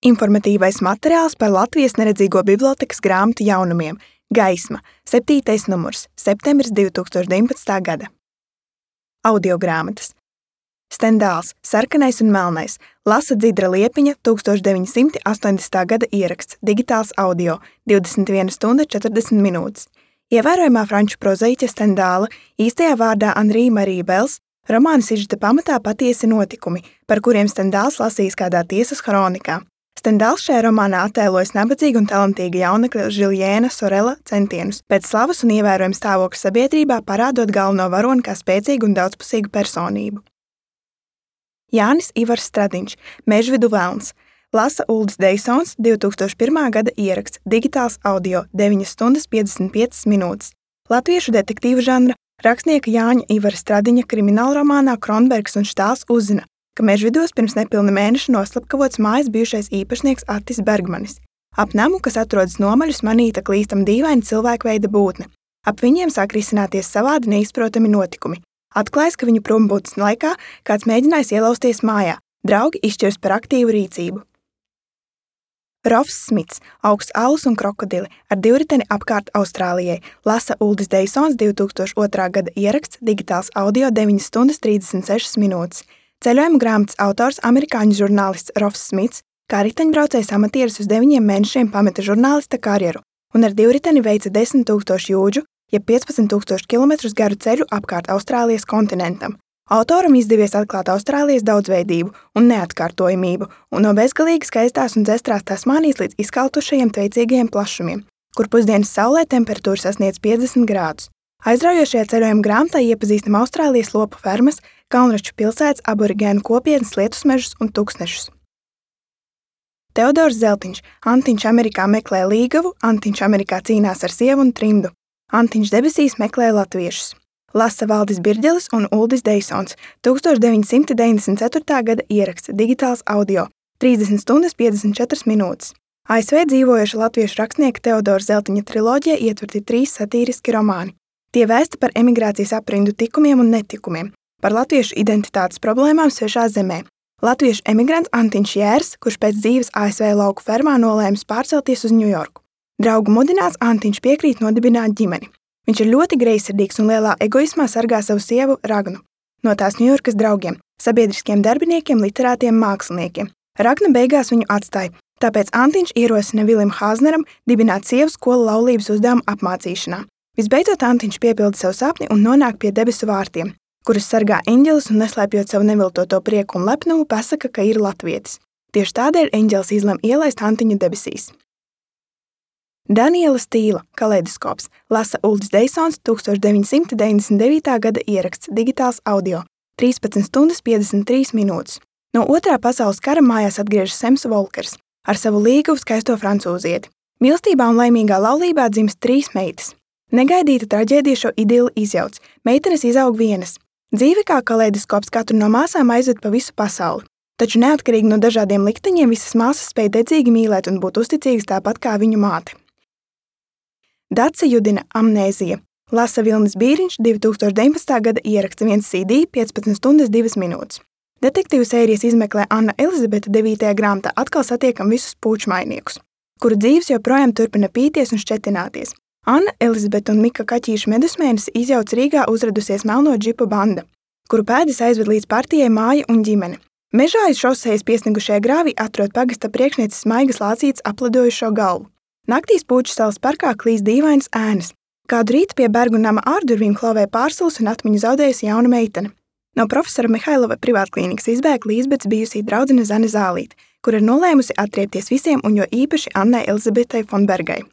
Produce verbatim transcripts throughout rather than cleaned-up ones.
Informatīvais materiāls par Latvijas neredzīgo bibliotēkas grāmatu jaunumiem Gaisma, septītais numurs, septembris divi tūkstoši deviņpadsmitā gada. Audiogrāmatas. Stendāls, sarkanais un melnais, lasa Dzidra Liepiņa, tūkstoš deviņi simti astoņdesmitā gada ieraksts, digitāls audio, divdesmit viena stunda četrdesmit minūtes. Ievērojamā franču prozaiķa Stendāla, īstajā vārdā Anrī Marija Bels, romāna sižeta pamatā patiesi notikumi, par kuriem Stendāls lasījis kādā tiesas kronikā. Stendāls šajā romānā attēlojas nabadzīga un talantīga jaunekļa Žiljēna Sorela centienus pēc slavas un ievērojama stāvokļa sabiedrībā parādot galveno varoni kā spēcīgu un daudzpusīgu personību. Jānis Ivars Stradiņš, Mežvidu velns, lasa Uldis Deisons, divi tūkstoši pirmā gada ieraksts, digitāls audio, deviņas stundas piecdesmit piecas minūtes. Latviešu detektīvu žanra rakstnieka Jāņa Ivara Stradiņa kriminālromānā Kronbergs un Štāls uzzina, ka Mežvidos pirms nepilna mēneša noslapkavots mājas bijušais īpašnieks Attis Bergmanis. Ap namu, kas atrodas nomaļus, manīta klīstam dīvaina cilvēkveida būtne. Ap viņiem sāk risināties savādi neizprotami notikumi. Atklājas, ka viņu prombūtnes laikā kāds mēģinājis ielausties mājā. Draugi izšķirs par aktīvu rīcību. Rofs Smits, Augsts alus un krokodili ar divriteni apkārt Austrālijai, lasa Uldis Deisons, divi tūkstoši otrā gada ieraksts, digitāls audio, deviņas stundas trīsdesmit sešas minūtes. Ceļojuma grāmatas autors, amerikāņu žurnālists Rofs Smits, kā riteņbraucējs amatieris uz deviņiem mēnešiem pameta žurnālista karjeru un ar divriteni veica desmit tūkstošu jūdžu, jeb piecpadsmit tūkstošu kilometrus garu ceļu apkārt Austrālijas kontinentam. Autoram izdevies atklāt Austrālijas daudzveidību un neatkārtojamību un no bezgalīgi skaistās un dzestrās Tasmānijas līdz izkaltušajiem tveicīgajiem plašumiem, kur pusdienas saulē temperatūra sasniedz piecdesmit grādus. Aizraujošajā ceļojuma grāmatā iepazīstam Austrālijas lopu fermas, kalnraču pilsētas, aborigēnu kopienas, lietusmežus un tuksnešus. Teodors Zeltiņš, Antiņš Amerikā meklē līgavu, Antiņš Amerikā cīnās ar sievu un trimdu. Antiņš debesīs meklē latviešus. Lasa Valdis Birģelis un Uldis Deisons, tūkstoš deviņi simti deviņdesmit ceturtā gada ieraksts, digitāls audio, trīsdesmit stundas piecdesmit četras minūtes. A S V dzīvojoša latviešu rakstnieka Teodora Zeltiņa triloģija ietverti trīs satīriski romāni. Tie vēsta par emigrācijas aprindu tikumiem un netikumiem, par latviešu identitātes problēmām svešā zemē. Latviešu emigrants Antiņš Jērs, kurš pēc dzīves A S V lauku fermā nolēmis pārcelties uz Ņujorku. Draugu mudināts Antiņš piekrīt nodibināt ģimeni. Viņš ir ļoti greizsirdīgs un lielā egoismā sargā savu sievu Ragnu. No tās Ņujorkas draugiem, sabiedriskiem darbiniekiem, literātiem, māksliniekiem. Ragna beigās viņu atstāja, tāpēc Antiņš ierosina Vilim Hāzneram dibināt sievu skolu laulības uzdevumu apmācīšanā. Visbeidzot, Antiņš piepilda savu sapni un nonāk pie debesu vārtiem, kurus sargā eņģelis un neslēpjot savu neviltoto prieku un lepnumu pasaka, ka ir latvietis. Tieši tādēļ eņģelis izlem ielaist Antiņu debesīs. Daniela Stīla, Kaleidoskops, lasa Uldis Deisons, tūkstoš deviņi simti deviņdesmit devītā gada ieraksts, digitāls audio, trīspadsmit stundas piecdesmit trīs minūtes. No otrā pasaules kara mājās atgriežas Sems Volkers ar savu līgavu skaisto francūzieti. Mīlestībā un laimīgā laulībā dzimst trīs meitas. Negaidīta traģēdija šo idili izjauc. Meitenes izaug vienas. Dzīve kā kaleidoskops katru no māsām aizved pa visu pasauli. Taču neatkarīgi no dažādiem likteņiem visas māsas spēj dedzīgi mīlēt un būt uzticīgas tāpat kā viņu māte. Dace Judina, Amnēzija, lasa Vilnis Bīriņš, divi tūkstoši deviņpadsmitā gada ieraksta viens C D, piecpadsmit stundas divas minūtes. Detektīvu sērijas izmeklē Anna Elizabete devītajā grāmatā atkal satiekam visus pūčmainiekus, kuru dzīves joprojām turpina pīties un šķetināties. Anna Elizabete un Mika Kaķīša medusmēnesi izjauc Rīgā uzradusies melno džipu banda, kuru pēdas aizved līdz partijai māja un ģimene. Mežā aiz šosejas piesnigušajā grāvī atrod pagasta priekšnieces Maigas Lācītes aplidojušo galvu. Naktīs Pūču salas parkā klīst dīvainas ēnas. Kādu rītu pie Bergu nama ārdurvīm klavē pārsalus un atmiņu zaudējusi jauna meitene. No profesora Mihailova privātklīnikas izbēg Līsbetas bijusī draudzene Zane Zālīte, kur ir nolēmusi atriepties visiem un jo īpaši Annai Elizabetei Fonbergai.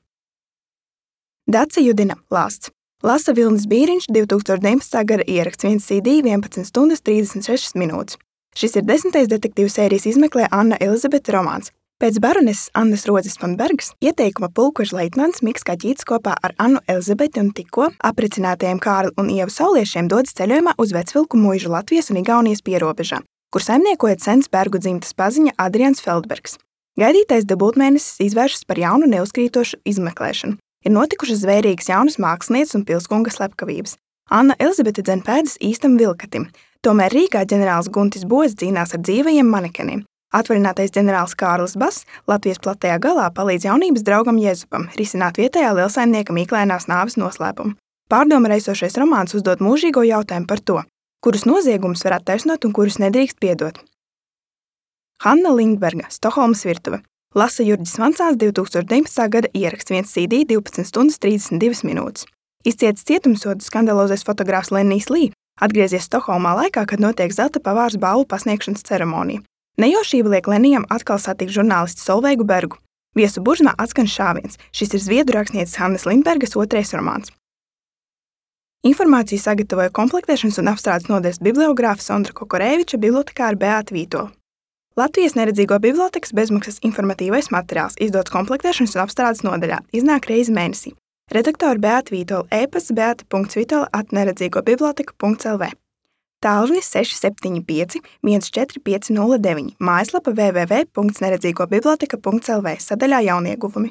Dace Judina, lāsts. Lasa Vilnis Bīriņš, divi tūkstoši deviņpadsmitā gada ieraksts, viens C D, vienpadsmit stundas trīsdesmit sešas minūtes. Šis ir desmitais detektīvu sērijas izmeklē Anna Elizabete romāns. Pēc baroneses Annas Rodzes Fonbergas ieteikuma pulkveža leitnants Miks Kaķītis kopā ar Annu Elizabeti un tikko aprecinātajiem Kārli un Ievu Sauliešiem dodas ceļojumā uz Vecvilku muižu Latvijas un Igaunijas pierobežā, kur saimniekojot sens Bergu dzimtas paziņa Adrians Feldbergs. Gaidītais debūtmēnesis izvēršas par jaunu neuzkrītošu izmeklēšanu. Ir notikušas zvērīgas jaunas mākslinieces un pilskunga slepkavības. Anna Elizabete dzen pēdas īstam vilkatim, tomēr Rīgā ģenerālis Guntis Boz cīnās ar dzīvajiem manekeniem. Atvaļinātais ģenerālis Kārlis Bass Latvijas platajā galā palīdz jaunības draugam Jēzupam risināt vietējā lielsaimnieka mīklainās nāves noslēpumu. Pārdomu raisošais romāns uzdod mūžīgo jautājumu par to, kurus noziegumus var attaisnot un kurus nedrīkst piedot. Hanna Lindberga, Stokholmas virtuve. Lasa Jurģis Vancāns, divi tūkstoši deviņpadsmitā gada ieraksts, viens C D, divpadsmit stundas trīsdesmit divas minūtes. Izcietis cietumsodu skandalozais fotogrāfs Lennijs Lī atgriezies Stokholmā laikā, kad notiek zelta pavārs balvu pasniegšanas ceremonija. Nejaušība liek Lennijam atkal satikt žurnālisti Solveigu Bergu. Viesu burzmā atskan šāviens. Šis ir zviedru rakstnieces Hannes Lindbergas otrais romāns. Informāciju sagatavoja komplektēšanas un apstrādes nodaļas bibliogrāfa Sondra Kokorēviča, bibliotekāra Beāta Vītola. Latvijas neredzīgo bibliotekas bezmaksas informatīvais materiāls izdots komplektēšanas un apstrādes nodaļā, iznāk reizi mēnesī. Redaktori Beāta Vītola, e-pasts beata punkts vitola at neredzīgobiblioteka punkts l v. Tālrunis seši septiņi pieci viens četri pieci nulle deviņi, mājaslapa w w w punkts neredzīgobiblioteka punkts l v, sadaļā jaunieguvumi.